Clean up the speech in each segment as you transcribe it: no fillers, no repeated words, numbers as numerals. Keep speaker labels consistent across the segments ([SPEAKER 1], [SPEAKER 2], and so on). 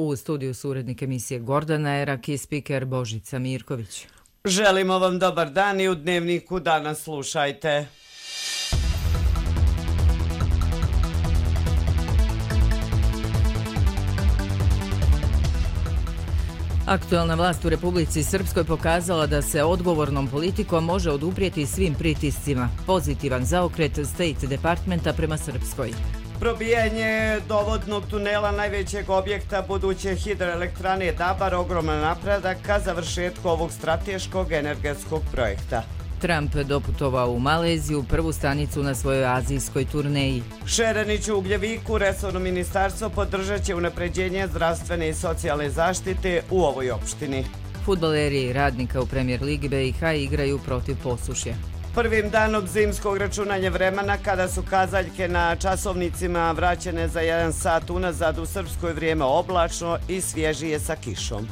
[SPEAKER 1] U studiju su urednik emisije Gordana Erak i spiker Božica Mirković.
[SPEAKER 2] Želimo vam dobar dan i u Dnevniku danas slušajte.
[SPEAKER 1] Aktuelna vlast u Republici Srpskoj pokazala da se odgovornom politikom može oduprijeti svim pritiscima. Pozitivan zaokret State Departmenta prema Srpskoj.
[SPEAKER 2] Probijanje dovodnog tunela najvećeg objekta buduće hidroelektrane Dabar ogroman napredak ka završetku ovog strateškog energetskog projekta.
[SPEAKER 1] Trump doputovao u Maleziju, prvu stanicu na svojoj azijskoj turneji.
[SPEAKER 2] Šerenić u Ugljeviku, resorno ministarstvo podržat će unapređenje zdravstvene i socijalne zaštite u ovoj opštini.
[SPEAKER 1] Fudbaleri Radnika u Premier Ligi BiH igraju protiv Posušja.
[SPEAKER 2] Prvim danom zimskog računanja vremena, kada su kazaljke na časovnicima vraćene za 1 sat unazad, u Srpskoj vrijeme oblačno i svježije sa kišom.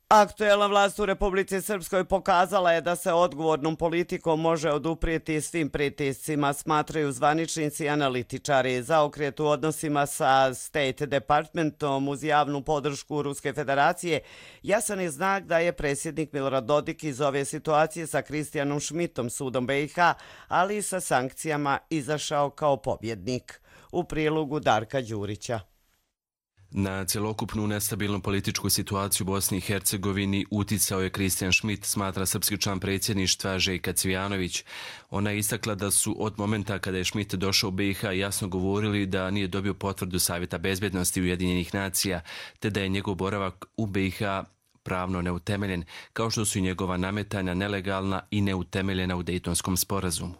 [SPEAKER 2] Aktuelna vlast u Republici Srpskoj pokazala je da se odgovornom politikom može oduprijeti svim pritiscima, smatraju zvaničnici i analitičari. Zaokret u odnosima sa State Departmentom uz javnu podršku Ruske federacije jasan je znak da je predsjednik Milorad Dodik iz ove situacije sa Kristijanom Šmitom, sudom BiH, ali i sa sankcijama izašao kao pobjednik. U prilogu Darka Đurića.
[SPEAKER 3] Na cjelokupnu nestabilnu političku situaciju u Bosni i Hercegovini uticao je Kristijan Šmit, smatra srpski član predsjedništva Željka Cvijanović. Ona je istakla da su od momenta kada je Šmit došao u BiH jasno govorili da nije dobio potvrdu Savjeta bezbednosti Ujedinjenih nacija, te da je njegov boravak u BiH pravno neutemeljen, kao što su i njegova nametanja nelegalna i neutemeljena u Dejtonskom sporazumu.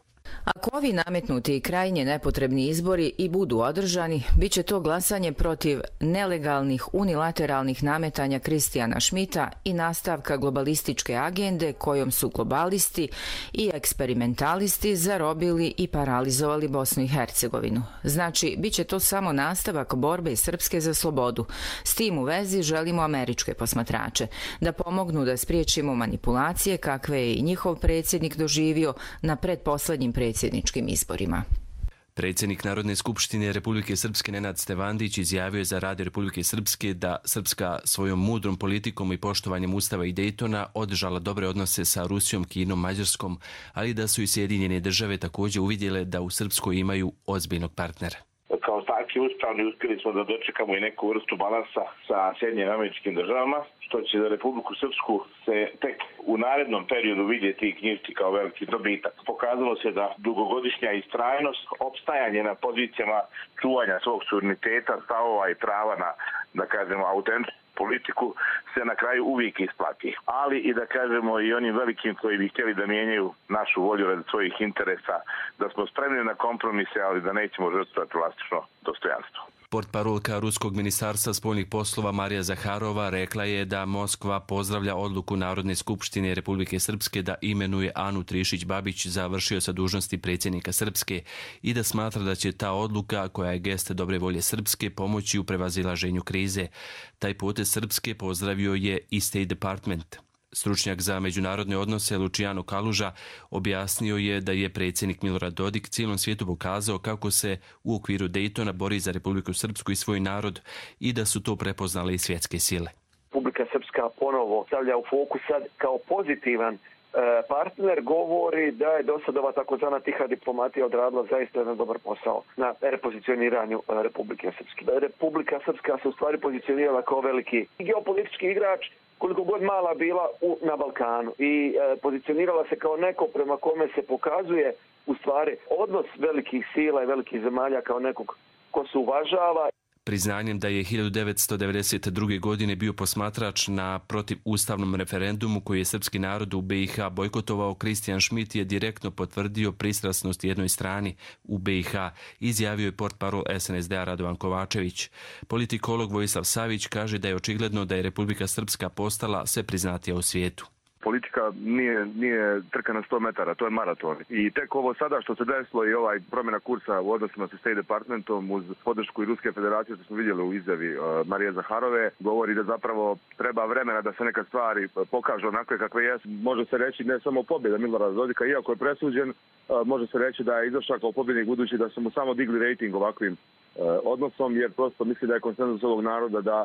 [SPEAKER 1] Ako ovi nametnuti i krajnje nepotrebni izbori i budu održani, bit će to glasanje protiv nelegalnih unilateralnih nametanja Kristijana Šmita i nastavka globalističke agende kojom su globalisti i eksperimentalisti zarobili i paralizovali Bosnu i Hercegovinu. Znači, bit će to samo nastavak borbe Srpske za slobodu. S tim u vezi želimo američke posmatrače da pomognu da spriječimo manipulacije kakve je i njihov predsjednik doživio na pretposlednjim predsjedničkim izborima.
[SPEAKER 3] Predsjednik Narodne skupštine Republike Srpske Nenad Stevandić izjavio je za Radio Republike Srpske da Srpska svojom mudrom politikom i poštovanjem Ustava i Dejtona održala dobre odnose sa Rusijom, Kinom, Mađarskom, ali da su i Sjedinjene države također uvidjele da u Srpskoj imaju ozbiljnog partnera.
[SPEAKER 4] Kao takvi uspravni uspjeli smo da dočekamo i neku vrstu balansa sa Sjedinjenim Američkim državama, što će za Republiku Srpsku se tek u narednom periodu vidjeti i knjižiti kao veliki dobitak. Pokazalo se da dugogodišnja istrajnost, opstajanje na pozicijama čuvanja svog suvereniteta, stavova i prava na, da kažemo, autentičnu politiku se na kraju uvijek isplati. Ali i da kažemo i onim velikim koji bi htjeli da mijenjaju našu volju radi svojih interesa, da smo spremni na kompromise, ali da nećemo žrtvovati vlastično dostojanstvo.
[SPEAKER 3] Portparolka Ruskog ministarstva spoljnih poslova Marija Zaharova rekla je da Moskva pozdravlja odluku Narodne skupštine Republike Srpske da imenuje Anu Trišić-Babić za vršioca dužnosti predsjednika Srpske i da smatra da će ta odluka, koja je gest dobre volje Srpske, pomoći u prevazilaženju krize. Taj potez Srpske pozdravio je i State Department. Stručnjak za međunarodne odnose Luciano Kaluža objasnio je da je predsjednik Milorad Dodik cijelom svijetu pokazao kako se u okviru Dejtona bori za Republiku Srpsku i svoj narod i da su to prepoznale i svjetske sile.
[SPEAKER 5] Republika Srpska ponovo stavlja u fokus sad kao pozitivan partner, govori da je do sada ova takozvana tiha diplomatija odradila zaista jedan dobar posao na repozicioniranju Republike Srpske. Republika Srpska se u stvari pozicionirala kao veliki geopolitički igrač, koliko god mala bila na Balkanu, i pozicionirala se kao neko prema kome se pokazuje u stvari odnos velikih sila i velikih zemalja kao nekog ko se uvažava.
[SPEAKER 3] Priznanjem da je 1992. godine bio posmatrač na protivustavnom referendumu koji je srpski narod u BiH bojkotovao, Kristijan Šmit je direktno potvrdio pristrasnost jednoj strani u BiH, izjavio je portparol SNSD-a Radovan Kovačević. Politikolog Vojislav Savić kaže da je očigledno da je Republika Srpska postala sve priznatija u svijetu.
[SPEAKER 6] politika nije trka na 100 metara, to je maraton. I tek ovo sada što se desilo i ovaj promjena kursa u odnosima sa State Departmentom uz podršku i Ruske federacije, što smo vidjeli u izjavi Marije Zaharove, govori da zapravo treba vremena da se neke stvari pokažu onakve kakve jesu. Može se reći ne samo pobjeda Milorada Dodika, iako je presuđen, može se reći da je izašao kao pobjednik budući da su mu samo digli rating ovakvim odnosom, jer prosto misli da je konsenzus ovog naroda da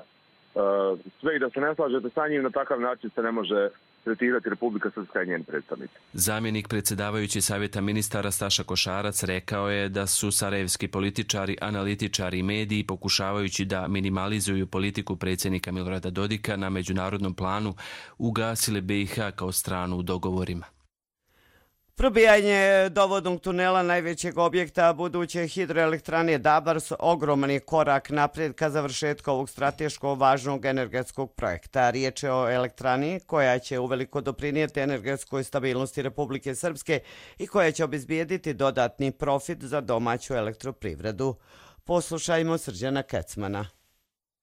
[SPEAKER 6] sve i da se ne slažete sa njim, na takav način se ne može tretirati Republika Srpska i njen predstavnici.
[SPEAKER 3] Zamjenik predsjedavajući Savjeta ministara Staša Košarac rekao je da su sarajevski političari, analitičari i mediji pokušavajući da minimalizuju politiku predsjednika Milorada Dodika na međunarodnom planu ugasili BiH kao stranu u dogovorima.
[SPEAKER 2] Probijanje dovodnog tunela najvećeg objekta buduće hidroelektrane Dabar su ogromni korak naprijed ka završetku ovog strateško važnog energetskog projekta. Riječ je o elektrani koja će uveliko doprinijeti energetskoj stabilnosti Republike Srpske i koja će obezbijediti dodatni profit za domaću elektroprivredu. Poslušajmo Srđana Kecmana.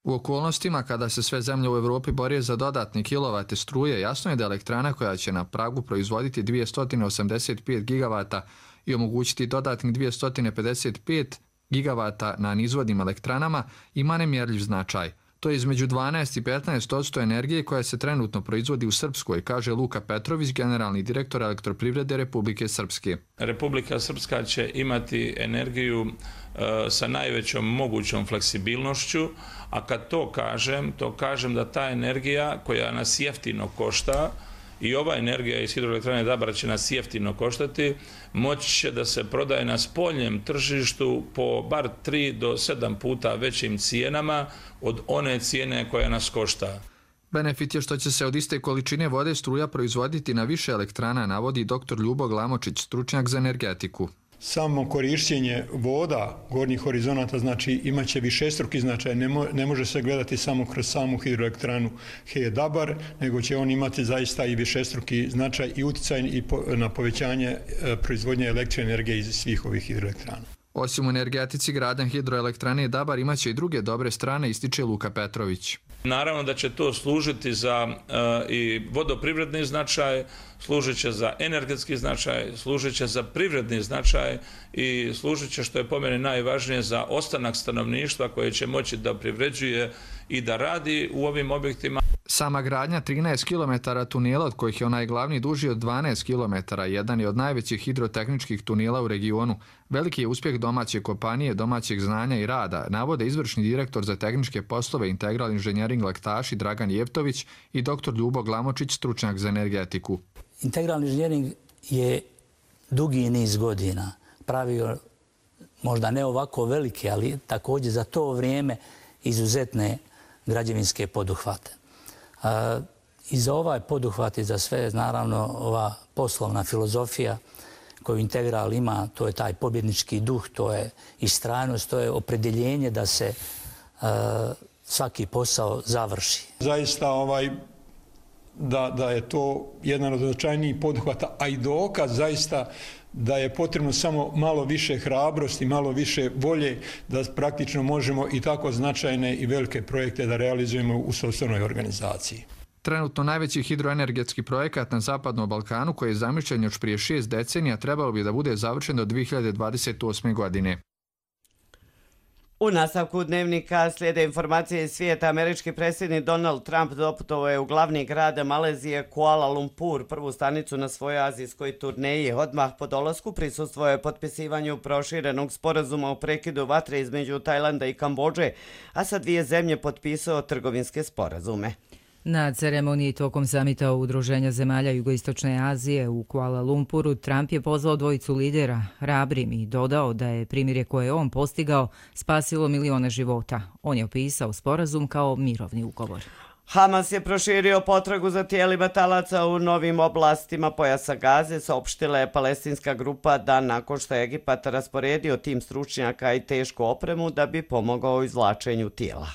[SPEAKER 7] U okolnostima kada se sve zemlje u Evropi bore za dodatni kilovate struje, jasno je da elektrana koja će na pragu proizvoditi 285 gigavata i omogućiti dodatnih 255 gigavata na nizvodnim elektranama ima nemjerljiv značaj. To je između 12 i 15% energije koja se trenutno proizvodi u Srpskoj, kaže Luka Petrović, generalni direktor Elektroprivrede Republike Srpske.
[SPEAKER 8] Republika Srpska će imati energiju sa najvećom mogućom fleksibilnošću, a kad to kažem da ta energija koja nas jeftino košta, i ova energija iz hidroelektrane Dabar će nas jeftino koštati, moći će da se prodaje na spoljnem tržištu po bar 3 do 7 puta većim cijenama od one cijene koja nas košta.
[SPEAKER 7] Benefit je što će se od iste količine vode struja proizvoditi na više elektrana, navodi dr. Ljubo Glamočić, stručnjak za energetiku.
[SPEAKER 9] Samo korišćenje voda gornjih horizonata znači imaće višestruki značaj. Ne može se gledati samo kroz samu hidroelektranu He Dabar, nego će on imati zaista i višestruki značaj i uticaj na povećanje proizvodnje električne energije iz svih ovih hidroelektrana.
[SPEAKER 7] Osim u energetici, gradan hidroelektrane Dabar imaće i druge dobre strane, ističe Luka Petrović.
[SPEAKER 8] Naravno da će to služiti za i vodoprivredni značaj, služit će za energetski značaj, služit će za privredni značaj i služit će, što je po meni najvažnije, za ostanak stanovništva koje će moći da privređuje i da radi u ovim objektima.
[SPEAKER 7] Sama gradnja 13 km tunela, od kojih je onaj glavni duži od 12 km, jedan je od najvećih hidrotehničkih tunela u regionu. Veliki je uspjeh domaće kompanije, domaćeg znanja i rada, navode izvršni direktor za tehničke poslove Integral Inženjering Laktaši Dragan Jevtović i dr. Ljubo Glamočić, stručnjak za energetiku.
[SPEAKER 10] Integralni inženjering je dugi niz godina pravio, možda ne ovako velike, ali također za to vrijeme izuzetne građevinske poduhvate. I za ovaj poduhvat i za sve, naravno, ova poslovna filozofija koju Integral ima, to je taj pobjednički duh, to je istrajnost, to je opredjeljenje da se svaki posao završi.
[SPEAKER 9] Zaista da je to jedan od značajnijih poduhvata, a i dokaz zaista da je potrebno samo malo više hrabrosti, malo više volje da praktično možemo i tako značajne i velike projekte da realizujemo u sopstvenoj organizaciji.
[SPEAKER 7] Trenutno najveći hidroenergetski projekat na Zapadnom Balkanu, koji je zamišljen još prije 6 decenija, trebalo bi da bude završen do 2028. godine.
[SPEAKER 2] U nastavku dnevnika slijede informacije iz svijeta. Američki predsjednik Donald Trump doputovao je u glavni grad Malezije Kuala Lumpur, prvu stanicu na svojoj azijskoj turneji. Odmah po dolasku prisustvovao je potpisivanju proširenog sporazuma o prekidu vatre između Tajlanda i Kambodže, a sa dvije zemlje potpisao trgovinske sporazume.
[SPEAKER 1] Na ceremoniji tokom samita Udruženja zemalja Jugoistočne Azije u Kuala Lumpuru Trump je pozvao dvojicu lidera hrabrim i dodao da je primirje koje je on postigao spasilo milione života. On je opisao sporazum kao mirovni ugovor.
[SPEAKER 2] Hamas je proširio potragu za tijelima talaca u novim oblastima pojasa Gaze, saopštila je palestinska grupa dan nakon što je Egipat rasporedio tim stručnjaka i tešku opremu da bi pomogao u izvlačenju tijela.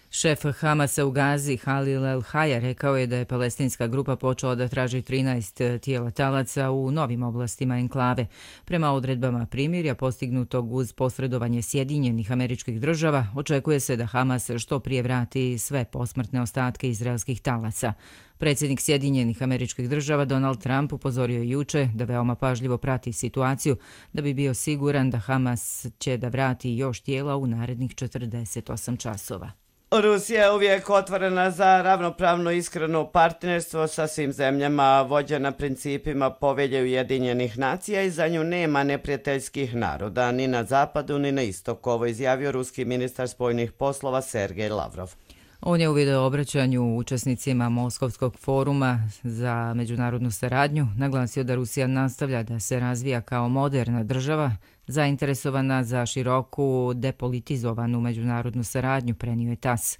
[SPEAKER 1] Šef Hamasa u Gazi, Halil El-Haja, rekao je da je palestinska grupa počela da traži 13 tijela talaca u novim oblastima enklave. Prema odredbama primirja postignutog uz posredovanje Sjedinjenih Američkih Država, očekuje se da Hamas što prije vrati sve posmrtne ostatke izraelskih talaca. Predsjednik Sjedinjenih Američkih Država Donald Trump upozorio je juče da veoma pažljivo prati situaciju da bi bio siguran da Hamas će da vrati još tijela u narednih 48 časova.
[SPEAKER 2] Rusija je uvijek otvorena za ravnopravno iskreno partnerstvo sa svim zemljama, vođena principima Povelje Ujedinjenih nacija i za nju nema neprijateljskih naroda, ni na zapadu ni na istoku, ovo izjavio ruski ministar spoljnih poslova Sergej Lavrov.
[SPEAKER 1] On je u videoobraćanju učesnicima Moskovskog foruma za međunarodnu saradnju naglasio da Rusija nastavlja da se razvija kao moderna država, zainteresovana za široku depolitizovanu međunarodnu saradnju, prenio je TASS.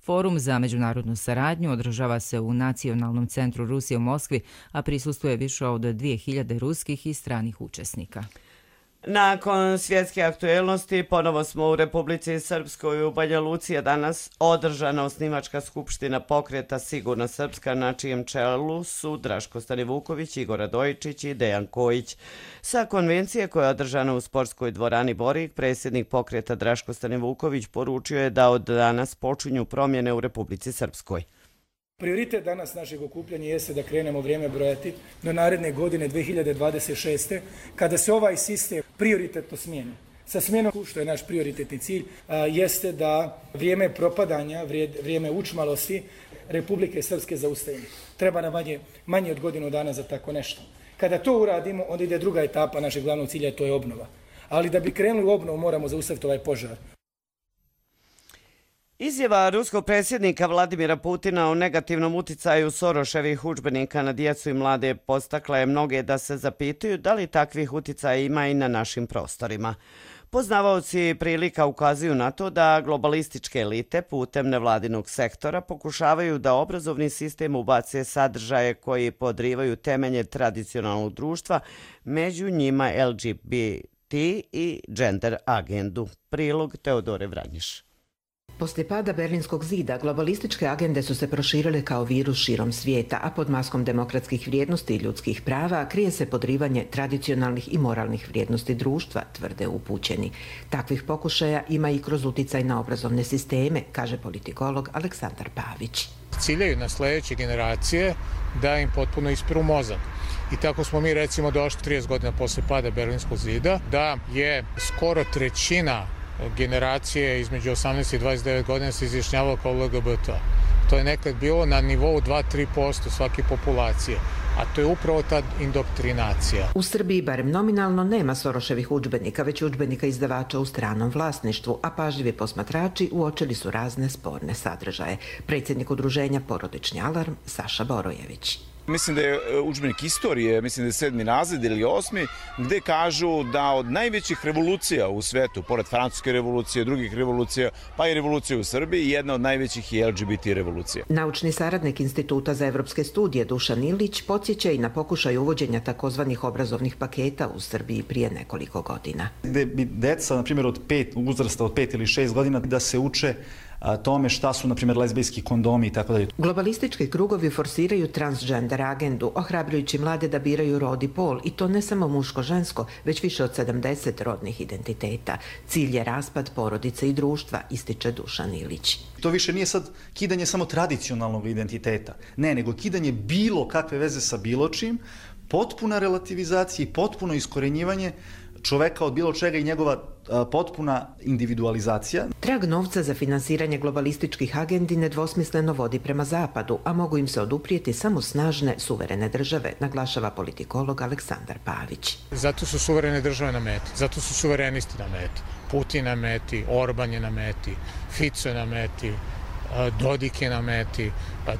[SPEAKER 1] Forum za međunarodnu saradnju održava se u Nacionalnom centru Rusije u Moskvi, a prisustvuje više od 2000 ruskih i stranih učesnika.
[SPEAKER 2] Nakon svjetske aktuelnosti, ponovo smo u Republici Srpskoj. U Banja Luci je danas održana osnivačka skupština pokreta Sigurna Srpska, na čijem čelu su Draško Stanivuković, Igor Radojičić i Dejan Kojić. Sa konvencije koja je održana u sportskoj dvorani Borik, predsjednik pokreta Draško Stanivuković poručio je da od danas počinju promjene u Republici Srpskoj.
[SPEAKER 11] Prioritet danas našeg okupljanja jeste da krenemo vrijeme brojati do naredne godine 2026. kada se ovaj sistem prioritetno smijeni. Sa smjenom, što je naš prioritetni cilj, jeste da vrijeme propadanja, vrijeme učmalosti Republike Srpske zaustavimo. Treba nam manje od godinu dana za tako nešto. Kada to uradimo, onda ide druga etapa našeg glavnog cilja, to je obnova. Ali da bi krenuli u obnovu, moramo zaustaviti ovaj požar.
[SPEAKER 2] Izjava ruskog predsjednika Vladimira Putina o negativnom uticaju Soroševih udžbenika na djecu i mlade podstakla je mnoge da se zapitaju da li takvih uticaja ima i na našim prostorima. Poznavaoci prilika ukazuju na to da globalističke elite putem nevladinog sektora pokušavaju da obrazovni sistem ubace sadržaje koji podrivaju temelje tradicionalnog društva, među njima LGBT i gender agendu. Prilog Teodore Vranjiš.
[SPEAKER 12] Poslije pada Berlinskog zida, globalističke agende su se proširile kao virus širom svijeta, a pod maskom demokratskih vrijednosti i ljudskih prava krije se podrivanje tradicionalnih i moralnih vrijednosti društva, tvrde upućeni. Takvih pokušaja ima i kroz uticaj na obrazovne sisteme, kaže politikolog Aleksandar Pavić.
[SPEAKER 13] Ciljaju na sljedeće generacije da im potpuno ispiru mozak. I tako smo mi recimo došli 30 godina poslije pada Berlinskog zida, da je skoro trećina generacije između 18 i 29 godina se izjašnjavalo kao LGBT. To je nekad bilo na nivou 2-3% svake populacije, a to je upravo ta indoktrinacija.
[SPEAKER 12] U Srbiji barem nominalno nema Soroševih udžbenika, već udžbenika izdavača u stranom vlasništvu, a pažljivi posmatrači uočili su razne sporne sadržaje. Predsjednik udruženja Porodični alarm Saša Borojević.
[SPEAKER 14] Mislim da je udžbenik istorije, mislim da je 7. razred ili 8. gde kažu da od najvećih revolucija u svetu, pored francuske revolucije, drugih revolucija, pa i revolucije u Srbiji, jedna od najvećih je LGBT revolucija.
[SPEAKER 12] Naučni saradnik Instituta za evropske studije Dušan Ilić podsjeća i na pokušaj uvođenja takozvanih obrazovnih paketa u Srbiji prije nekoliko godina.
[SPEAKER 15] Gde bi deca, na primjer, uzrasta od 5 ili 6 godina, da se uče tome šta su, na primjer, lezbijski kondomi i tako dalje.
[SPEAKER 12] Globalistički krugovi forsiraju transgender agendu, ohrabrujući mlade da biraju rod i pol, i to ne samo muško-žensko, već više od 70 rodnih identiteta. Cilj je raspad porodice i društva, ističe Dušan Ilić.
[SPEAKER 15] To više nije sad kidanje samo tradicionalnog identiteta, ne, nego kidanje bilo kakve veze sa bilo čim, potpuna relativizacija i potpuno iskorenjivanje čoveka od bilo čega i njegova potpuna individualizacija.
[SPEAKER 12] Trag novca za finansiranje globalističkih agendi nedvosmisleno vodi prema zapadu, a mogu im se oduprijeti samo snažne, suverene države, naglašava politikolog Aleksandar Pavić.
[SPEAKER 13] Zato su suverene države na meti, zato su suverenisti na meti. Putin na meti, Orban je na meti, Fico je na meti, Dodik je na meti,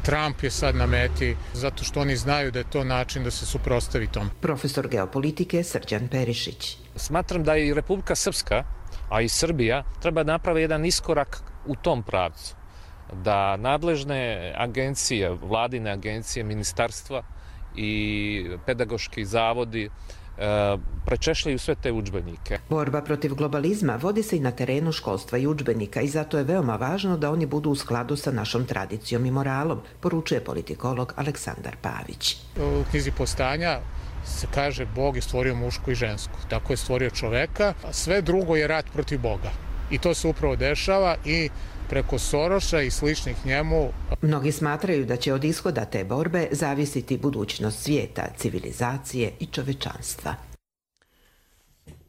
[SPEAKER 13] Trump je sad na meti, zato što oni znaju da je to način da se suprotstavi tom.
[SPEAKER 12] Profesor geopolitike Srđan Perišić.
[SPEAKER 16] Smatram da i Republika Srpska, a i Srbija, treba napravi jedan iskorak u tom pravcu. Da nadležne agencije, vladine agencije, ministarstva i pedagoški zavodi prečešljaju sve te udžbenike.
[SPEAKER 12] Borba protiv globalizma vodi se i na terenu školstva i udžbenika i zato je veoma važno da oni budu u skladu sa našom tradicijom i moralom, poručuje politikolog Aleksandar Pavić.
[SPEAKER 13] U knjizi Postanja se kaže Bog je stvorio mušku i žensku, tako je stvorio čoveka, a sve drugo je rat protiv Boga. I to se upravo dešava i preko Soroša i sličnih njemu.
[SPEAKER 12] Mnogi smatraju da će od ishoda te borbe zavisiti budućnost svijeta, civilizacije i čovečanstva.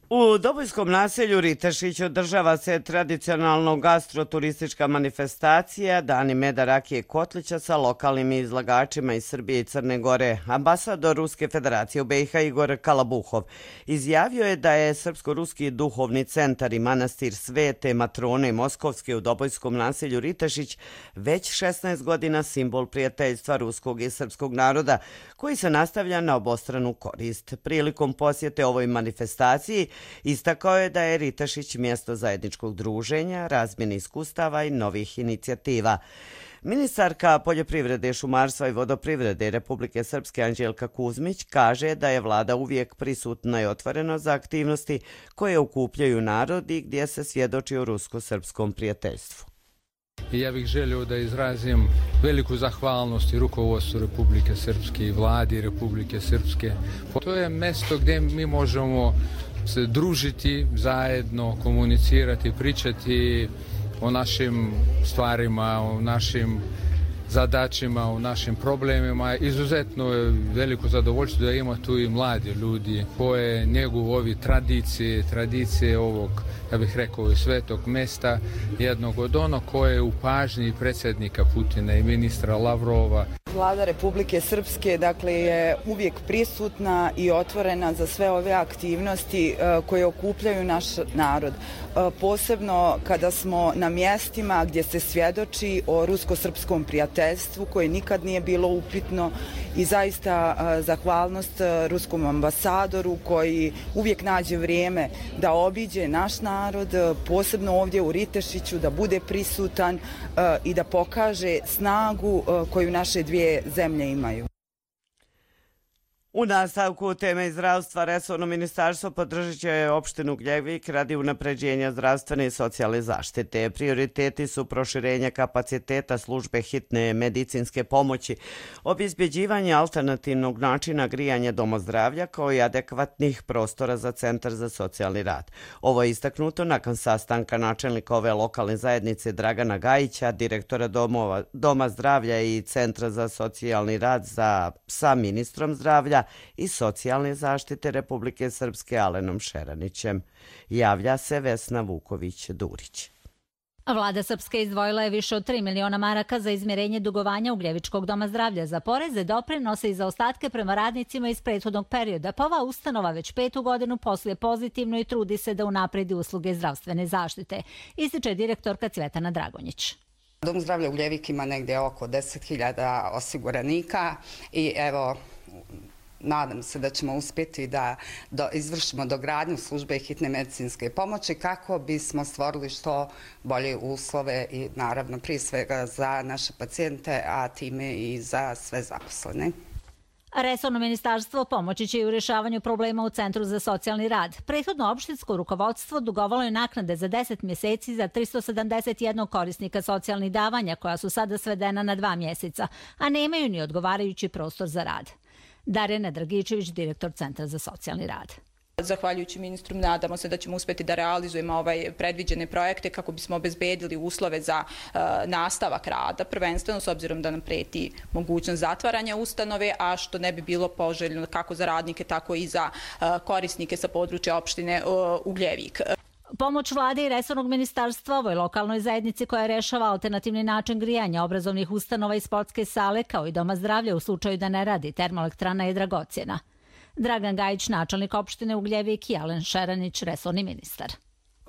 [SPEAKER 2] U Dobojskom naselju Ritešić održava se tradicionalno gastroturistička manifestacija Dani meda, rakije i kotlića sa lokalnim izlagačima iz Srbije i Crne Gore. Ambasador Ruske federacije u BiH Igor Kalabuhov izjavio je da je Srpsko-ruski duhovni centar i manastir Svete Matrone Moskovske u Dobojskom naselju Ritešić već 16 godina simbol prijateljstva ruskog i srpskog naroda koji se nastavlja na obostranu korist. Prilikom posjete ovoj manifestaciji istakao je da je Ritešić mjesto zajedničkog druženja, razmjene iskustava i novih inicijativa. Ministarka poljoprivrede, šumarstva i vodoprivrede Republike Srpske Anđelka Kuzmić kaže da je vlada uvijek prisutna i otvorena za aktivnosti koje okupljaju narod i gdje se svjedoči o rusko-srpskom prijateljstvu.
[SPEAKER 17] Ja bih želio da izrazim veliku zahvalnost i rukovodstvu Republike Srpske i vladi Republike Srpske. To je mjesto gdje mi možemo se družiti zajedno, komunicirati, pričati o našim stvarima, o našim zadaćima, o našim problemima. Izuzetno je veliko zadovoljstvo da ima tu i mladi ljudi koje njeguju ovi tradicije ovog, ja bih rekao, i svetog mesta, jednog od ono koje je u pažnji predsjednika Putina i ministra Lavrova.
[SPEAKER 18] Vlada Republike Srpske je uvijek prisutna i otvorena za sve ove aktivnosti koje okupljaju naš narod. Posebno kada smo na mjestima gdje se svjedoči o rusko-srpskom prijateljstvu koje nikad nije bilo upitno i zaista zahvalnost ruskom ambasadoru koji uvijek nađe vrijeme da obiđe naš narod, posebno ovdje u Ritešiću, da bude prisutan i da pokaže snagu koju naše dvije zemlje imaju.
[SPEAKER 2] U nastavku teme zdravstva, resorno ministarstvo podržat će opštinu Ugljevik radi unapređenja zdravstvene i socijalne zaštite. Prioriteti su proširenje kapaciteta službe hitne medicinske pomoći, obezbeđivanje alternativnog načina grijanja domozdravlja kao i adekvatnih prostora za Centar za socijalni rad. Ovo je istaknuto nakon sastanka načelnika ove lokalne zajednice Dragana Gajića, direktora Doma zdravlja i Centra za socijalni rad sa ministrom zdravlja i socijalne zaštite Republike Srpske Alenom Šeranićem. Javlja se Vesna Vuković-Durić.
[SPEAKER 19] Vlada Srpske izdvojila je više od 3 miliona maraka za izmirenje dugovanja Ugljevičkog doma zdravlja za poreze, doprinose i za ostatke prema radnicima iz prethodnog perioda, pa ova ustanova već 5. godinu posluje pozitivno i trudi se da unapredi usluge zdravstvene zaštite, ističe direktorka Cvetana Dragonjić.
[SPEAKER 20] Dom zdravlja Ugljevik ima negdje oko 10.000 osiguranika i evo, nadam se da ćemo uspjeti da izvršimo dogradnju službe hitne medicinske pomoći kako bismo stvorili što bolje uslove i naravno prije svega za naše pacijente, a time i za sve zaposlene.
[SPEAKER 19] Resorno ministarstvo pomoći će i u rješavanju problema u Centru za socijalni rad. Prethodno opštinsko rukovodstvo dugovalo je naknade za 10 mjeseci za 371 korisnika socijalnih davanja koja su sada svedena na 2 mjeseca, a nemaju ni odgovarajući prostor za rad. Darjana Dragičević, direktor Centra za socijalni rad.
[SPEAKER 21] Zahvaljujući ministru, nadamo se da ćemo uspjeti da realizujemo predviđene projekte kako bismo obezbedili uslove za nastavak rada, prvenstveno s obzirom da nam preti mogućnost zatvaranja ustanove, a što ne bi bilo poželjno kako za radnike, tako i za korisnike sa područja opštine Ugljevik.
[SPEAKER 19] Pomoć vlade i resornog ministarstva ovoj lokalnoj zajednici koja rešava alternativni način grijanja obrazovnih ustanova i sportske sale kao i doma zdravlja u slučaju da ne radi termoelektrana je dragocjena. Dragan Gajić, načelnik opštine Ugljevik i Alen Šeranić, resorni ministar.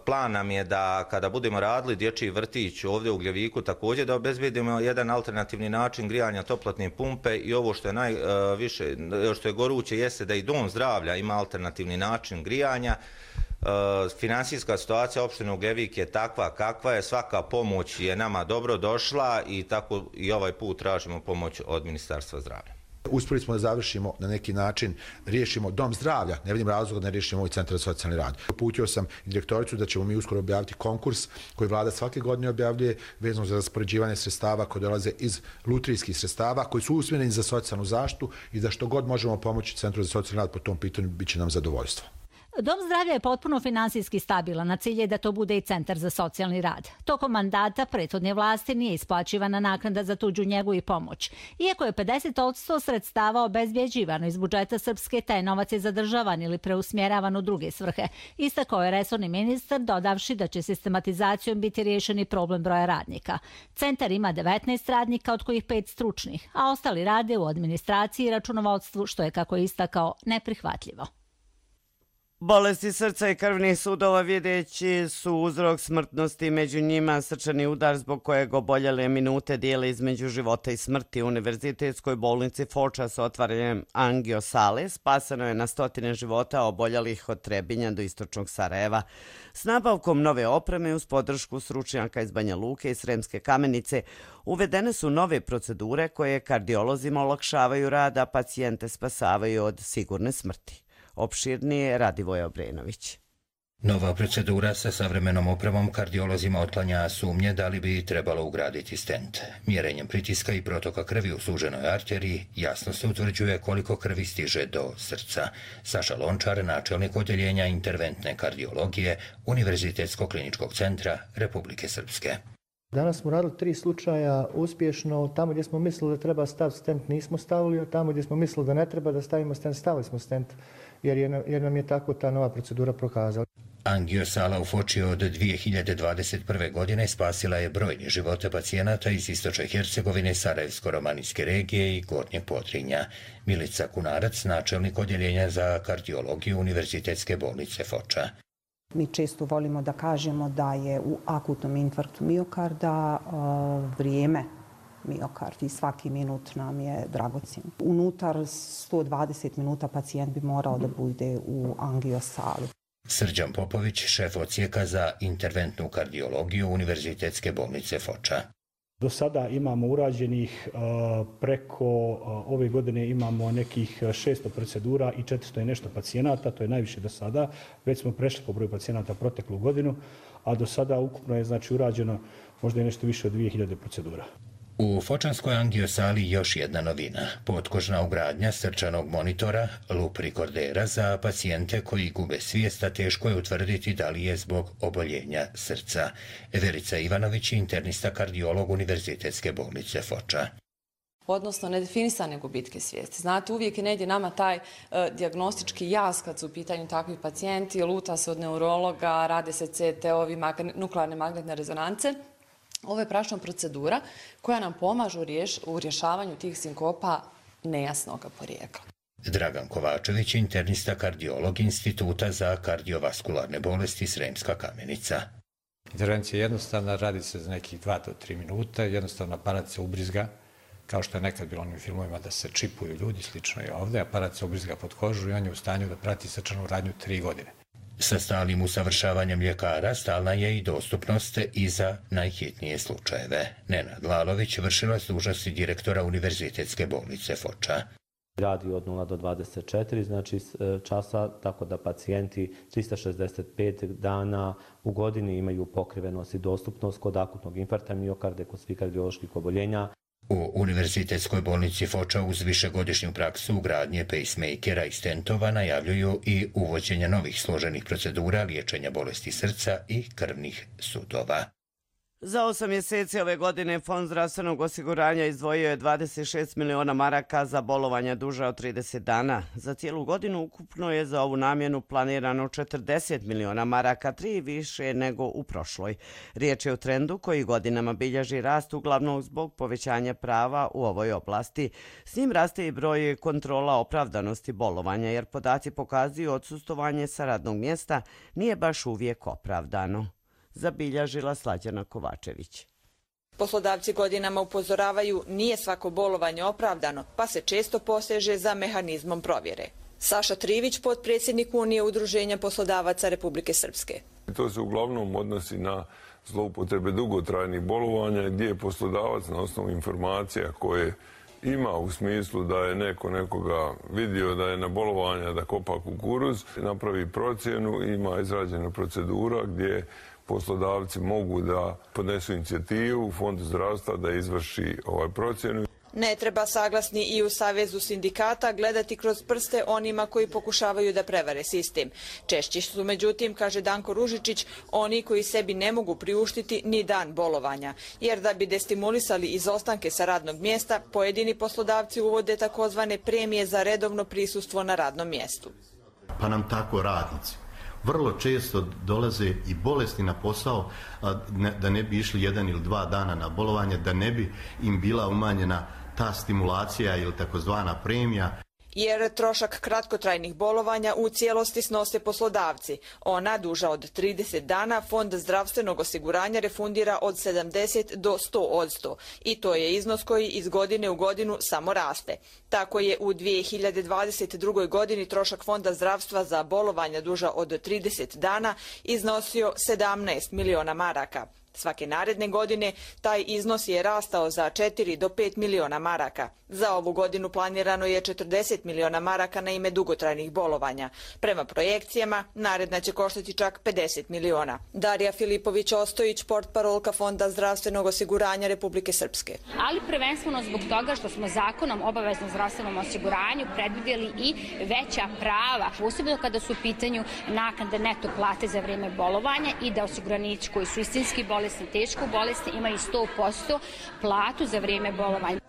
[SPEAKER 22] Plan nam je da kada budemo radili dječji vrtić ovdje u Ugljeviku također da obezbedimo jedan alternativni način grijanja toplotne pumpe i ovo što je najviše, što je goruće jeste da i dom zdravlja ima alternativni način grijanja. Finansijska situacija opštine Ugljevik je takva kakva je, svaka pomoć je nama dobro došla i tako i ovaj put tražimo pomoć od Ministarstva zdravlja.
[SPEAKER 4] Uspjeli smo da završimo na neki način, riješimo dom zdravlja, ne vidim razloga da ne riješimo ovaj centar za socijalni rad. Uputio sam direktoricu da ćemo mi uskoro objaviti konkurs koji vlada svake godine objavljuje vezano za raspoređivanje sredstava koje dolaze iz lutrijskih sredstava koji su usmjereni za socijalnu zaštitu i da što god možemo pomoći Centru za socijalni rad po tom pitanju bit će nam zadovoljstvo.
[SPEAKER 19] Dom zdravlja je potpuno finansijski stabilan, a cilj je da to bude i centar za socijalni rad. Tokom mandata prethodne vlasti nije isplaćivana naknada za tuđu njegu i pomoć. Iako je 50% sredstava obezbjeđivano iz budžeta Srpske, taj novac je zadržavan ili preusmjeravan u druge svrhe. Istakao je resorni ministar, dodavši da će sistematizacijom biti riješeni problem broja radnika. Centar ima 19 radnika, od kojih 5 stručnih, a ostali rade u administraciji i računovodstvu, što je, kako je istakao, neprihvatljivo.
[SPEAKER 2] Bolesti srca i krvnih sudova videći su uzrok smrtnosti, među njima srčani udar zbog kojeg oboljele minute dijele između života i smrti. U Univerzitetskoj bolnici Foča s otvaranjem angiosale spaseno je na stotine života oboljelih od Trebinja do istočnog Sarajeva. S nabavkom nove opreme uz podršku stručnjaka iz Banja Luke i Sremske Kamenice uvedene su nove procedure koje kardiolozima olakšavaju rad, a pacijente spasavaju od sigurne smrti. Opširnije Radivoje Obrenović.
[SPEAKER 5] Nova procedura sa savremenom opremom kardiolozima otklanja sumnje da li bi trebalo ugraditi stent. Mjerenjem pritiska i protoka krvi u suženoj arteriji jasno se utvrđuje koliko krvi stiže do srca. Saša Lončar, načelnik odjeljenja interventne kardiologije Univerzitetskog kliničkog centra Republike Srpske.
[SPEAKER 23] Danas smo radili 3 slučaja uspješno. Tamo gdje smo mislili da treba staviti stent nismo stavili, a tamo gdje smo mislili da ne treba da stavimo stent, stavili smo stent, jer nam je tako ta nova procedura prokazala.
[SPEAKER 5] Angiosala u Foči od 2021. godine spasila je brojni živote pacijenata iz istočne Hercegovine, Sarajevsko-romanijske regije i Gornjeg Podrinja. Milica Kunarac, načelnik odjeljenja za kardiologiju Univerzitetske bolnice Foča.
[SPEAKER 24] Mi često volimo da kažemo da je u akutnom infarktu miokarda vrijeme miokard i svaki minut nam je dragocjen. Unutar 120 minuta pacijent bi morao da bude u angiosali.
[SPEAKER 5] Srđan Popović, šef odsjeka za interventnu kardiologiju Univerzitetske bolnice Foča.
[SPEAKER 25] Do sada imamo urađenih preko ove godine imamo nekih 600 procedura i 400 i nešto pacijenata, to je najviše do sada. Već smo prešli po broju pacijenata proteklu godinu, a do sada ukupno je urađeno možda i nešto više od 2000 procedura.
[SPEAKER 5] U fočanskoj angiosali još jedna novina. Potkožna ugradnja srčanog monitora, lup rekordera za pacijente koji gube svijest, a teško je utvrditi da li je zbog oboljenja srca. Verica Ivanović, internista kardiolog Univerzitetske bolnice Foča.
[SPEAKER 26] Odnosno nedefinisane gubitke svijesti. Znate, uvijek je negdje nama taj dijagnostički jaz kad su u pitanju takvi pacijenti, luta se od neurologa, rade se CT-ovi, nuklearne magnetne rezonance. Ovo je prašna procedura koja nam pomaže u rješavanju tih sinkopa nejasnog porijekla.
[SPEAKER 5] Dragan Kovačević, internista kardiolog Instituta za kardiovaskularne bolesti Sremska Kamenica.
[SPEAKER 27] Intervencija je jednostavna, radi se za nekih 2 do 3 minuta, jednostavno aparat se ubrizga, kao što je nekad bilo onim filmovima da se čipuju ljudi, slično je ovdje, aparat se ubrizga pod kožu i on je u stanju da prati srčanu radnju 3 godine.
[SPEAKER 5] Sa stalnim usavršavanjem ljekara stalna je i dostupnost i za najhitnije slučajeve. Nenad Lalović, vršilac dužnosti direktora Univerzitetske bolnice Foča.
[SPEAKER 28] Radi od 0 do 24, znači časa, tako da pacijenti 365 dana u godini imaju pokrivenost i dostupnost kod akutnog infarkta miokarda, kod svih kardioloških oboljenja.
[SPEAKER 5] U Univerzitetskoj bolnici Foča uz višegodišnju praksu ugradnje pacemakera i stentova najavljuju i uvođenje novih složenih procedura liječenja bolesti srca i krvnih sudova.
[SPEAKER 2] Za 8 mjeseci ove godine Fond zdravstvenog osiguranja izdvojio je 26 miliona maraka za bolovanja duža od 30 dana. Za cijelu godinu ukupno je za ovu namjenu planirano 40 miliona maraka, 3 više nego u prošloj. Riječ je o trendu koji godinama bilježi rast uglavnom zbog povećanja prava u ovoj oblasti. S njim raste i broj kontrola opravdanosti bolovanja, jer podaci pokazuju odsustovanje sa radnog mjesta nije baš uvijek opravdano. Zabilježila Slađana Kovačević.
[SPEAKER 29] Poslodavci godinama upozoravaju nije svako bolovanje opravdano, pa se često poseže za mehanizmom provjere. Saša Trivić, potpredsjednik Unije udruženja poslodavaca Republike Srpske.
[SPEAKER 30] To se uglavnom odnosi na zloupotrebe dugotrajnih bolovanja gdje je poslodavac na osnovu informacija koje ima u smislu da je nekoga vidio da je na bolovanja, da kopa kukuruz, napravi procjenu, ima izrađena procedura gdje poslodavci mogu da podnesu inicijativu u Fondu zdravstva da izvrši procjenu.
[SPEAKER 29] Ne treba saglasni i u Savezu sindikata gledati kroz prste onima koji pokušavaju da prevare sistem. Češći su, međutim, kaže Danko Ružičić, oni koji sebi ne mogu priuštiti ni dan bolovanja. Jer da bi destimulisali izostanke sa radnog mjesta, pojedini poslodavci uvode takozvane premije za redovno prisustvo na radnom mjestu.
[SPEAKER 1] Pa nam tako radnici vrlo često dolaze i bolesni na posao, da ne bi išli 1 ili 2 dana na bolovanje, da ne bi im bila umanjena ta stimulacija ili takozvana premija.
[SPEAKER 29] Jer trošak kratkotrajnih bolovanja u cijelosti snose poslodavci. Ona duža od 30 dana Fond zdravstvenog osiguranja refundira od 70 do 100%. I to je iznos koji iz godine u godinu samo raste. Tako je u 2022. godini trošak Fonda zdravstva za bolovanja duža od 30 dana iznosio 17 miliona maraka. Svake naredne godine taj iznos je rastao za 4 do 5 miliona maraka. Za ovu godinu planirano je 40 miliona maraka na ime dugotrajnih bolovanja. Prema projekcijama, naredna će koštati čak 50 miliona. Darija Filipović-Ostojić, portparolka Fonda zdravstvenog osiguranja Republike Srpske.
[SPEAKER 3] Ali prvenstveno zbog toga što smo zakonom o obaveznom zdravstvenom osiguranju predvidjeli i veća prava, posebno kada su u pitanju naknade neto plate za vrijeme bolovanja i da osiguranici koji su istinski bolesni, teško bolesni, imaju 100% platu za vrijeme bolovanja.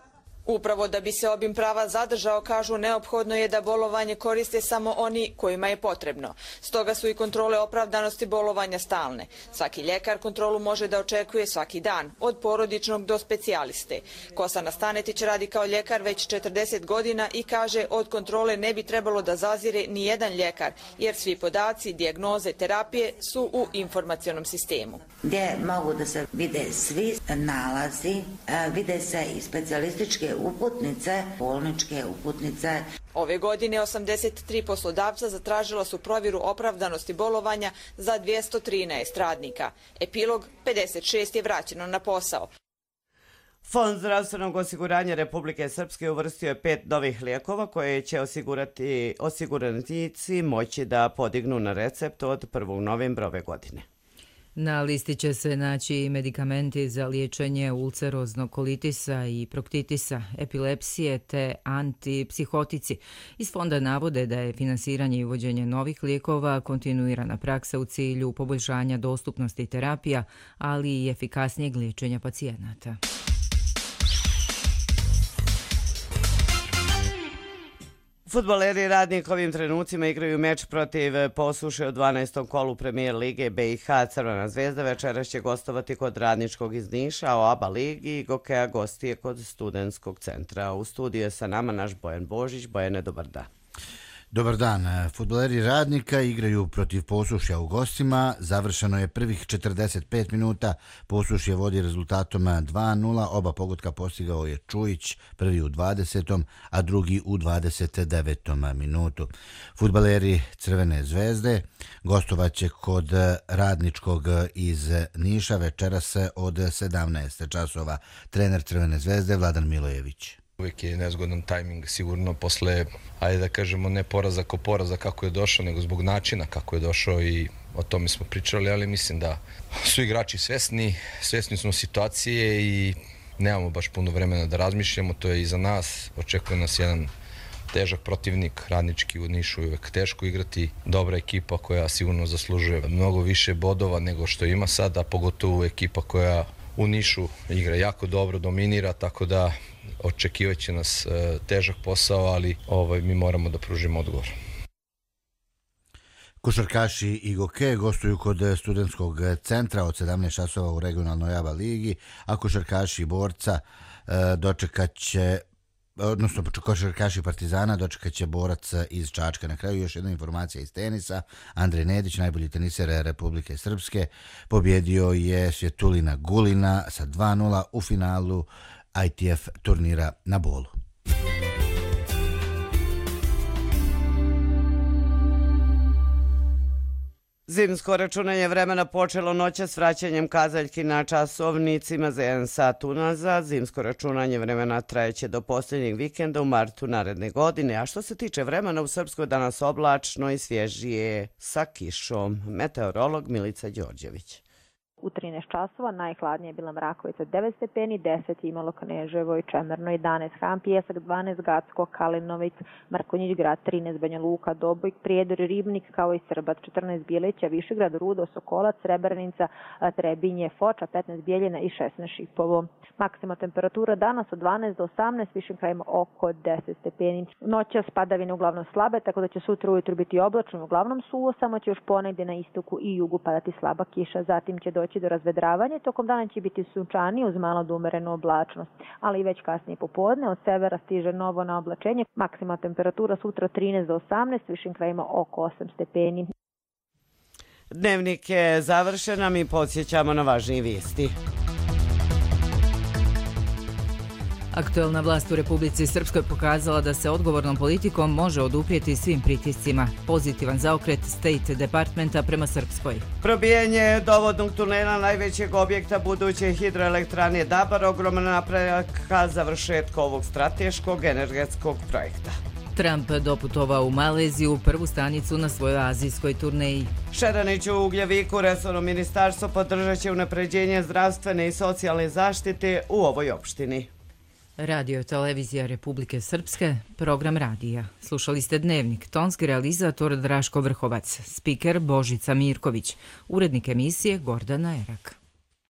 [SPEAKER 29] Upravo da bi se obim prava zadržao, kažu, neophodno je da bolovanje koriste samo oni kojima je potrebno. Stoga su i kontrole opravdanosti bolovanja stalne. Svaki ljekar kontrolu može da očekuje svaki dan, od porodičnog do specijaliste. Kosana Stanetić radi kao ljekar već 40 godina i kaže od kontrole ne bi trebalo da zazire ni jedan ljekar, jer svi podaci, dijagnoze, terapije su u informacionom sistemu.
[SPEAKER 6] Gdje mogu da se vide svi nalazi, vide se i specijalističke uputnice, bolničke uputnice.
[SPEAKER 29] Ove godine 83 poslodavca zatražila su provjeru opravdanosti bolovanja za 213 radnika. Epilog, 56 je vraćeno na posao.
[SPEAKER 2] Fond zdravstvenog osiguranja Republike Srpske uvrstio je 5 novih lijekova koje će osiguranici moći da podignu na recept od 1. novembra ove godine.
[SPEAKER 7] Na listi će se naći medikamenti za liječenje ulceroznog kolitisa i proktitisa, epilepsije te antipsihotici. Iz fonda navode da je finansiranje i uvođenje novih lijekova kontinuirana praksa u cilju poboljšanja dostupnosti terapija, ali i efikasnijeg liječenja pacijenata.
[SPEAKER 2] Fudbaleri Radnik ovim trenucima igraju meč protiv Posuše u 12. kolu Premijer Lige BiH. Crvena zvezda večeras će gostovati kod Radničkog iz Niša, a u ABA ligi Gokeja gostije kod Studentskog centra. U studiju je sa nama naš Bojan Božić. Bojane, dobar dan.
[SPEAKER 8] Dobar dan. Fudbaleri Radnika igraju protiv Posušja u gostima. Završeno je prvih 45 minuta. Posušje vodi rezultatom 2-0. Oba pogotka postigao je Čujić, prvi u 20. a drugi u 29. minutu. Fudbaleri Crvene zvezde gostovaće kod Radničkog iz Niša večeras od 17 časova. Trener Crvene zvezde Vladan Milojević.
[SPEAKER 9] Uvijek je nezgodan tajming, sigurno posle, ajde da kažemo, ne poraza ko poraza kako je došao, nego zbog načina kako je došao i o tome smo pričali, ali mislim da su igrači svesni smo situacije i nemamo baš puno vremena da razmišljamo, to je iza nas, očekuje nas jedan težak protivnik, Radnički u Nišu je uvijek teško igrati, dobra ekipa koja sigurno zaslužuje mnogo više bodova nego što ima sada, pogotovo ekipa koja u Nišu igra jako dobro, dominira, tako da očekivaće nas težak posao, ali mi moramo da pružimo odgovor.
[SPEAKER 8] Košarkaši i Goke gostuju kod Studentskog centra od 17 časova u regionalnoj ABA ligi, a košarkaši Borca košarkaši Partizana dočekat će Borac iz Čačka. Na kraju još jedna informacija iz tenisa. Andrej Nedić, najbolji teniser Republike Srpske, pobjedio je Svjetulina Gulina sa 2-0 u finalu ITF turnira na Bolu.
[SPEAKER 2] Zimsko računanje vremena počelo noća s vraćanjem kazaljki na časovnicima za 1 sat unazad. Zimsko računanje vremena trajeće do posljednjeg vikenda u martu naredne godine, a što se tiče vremena u Srpskoj danas oblačno i svježije sa kišom. Meteorolog Milica Đorđević.
[SPEAKER 10] U 13 časova najhladnije je bila Mrakovica 9 stepeni, 10 imalo Kneževo i Čemerno 11, Ham Pijesak 12, Gacko, Kalinović, Mrkonjić grad 13, Banja Luka, Dobojk, Prijedor, Ribnik kao i Srbac 14, Bileća, Višegrad, Rudo, Sokolac, Srebrenica, Trebinje, Foča 15, Bijeljina i 16 Šipovo. Maksima temperatura danas od 12 do 18, višim krajima oko 10 stepeni. Noćas padavine uglavnom slabe, tako da će sutra ujutru biti oblačno, uglavnom suvo, samo će još ponegdje na istoku i jugu padati slaba kiša, zatim će doći do razvedravanja. Tokom dana će biti sunčanije uz malo do umerenu oblačnost, ali i već kasnije popodne od severa stiže novo na oblačenje. Maksima temperatura sutra 13 do 18, višim krajima oko 8 stepeni.
[SPEAKER 2] Dnevnik je završen, a mi podsjećamo na važnije vijesti.
[SPEAKER 7] Aktuelna vlast u Republici Srpskoj pokazala da se odgovornom politikom može oduprijeti svim pritiscima. Pozitivan zaokret State Departmenta prema Srpskoj.
[SPEAKER 2] Probijanje dovodnog tunela najvećeg objekta buduće hidroelektrane Dabar ogroman napredak ka završetku ovog strateškog energetskog projekta.
[SPEAKER 7] Trump doputovao u Maleziju, prvu stanicu na svojoj azijskoj turneji.
[SPEAKER 2] Šeranić u Ugljeviku, resorno ministarstvo podržat će unapređenje zdravstvene i socijalne zaštite u ovoj opštini.
[SPEAKER 7] Radio televizija Republike Srpske, program radija. Slušali ste Dnevnik, tonski realizator Draško Vrhovac, spiker Božica Mirković, urednik emisije Gordana Erak.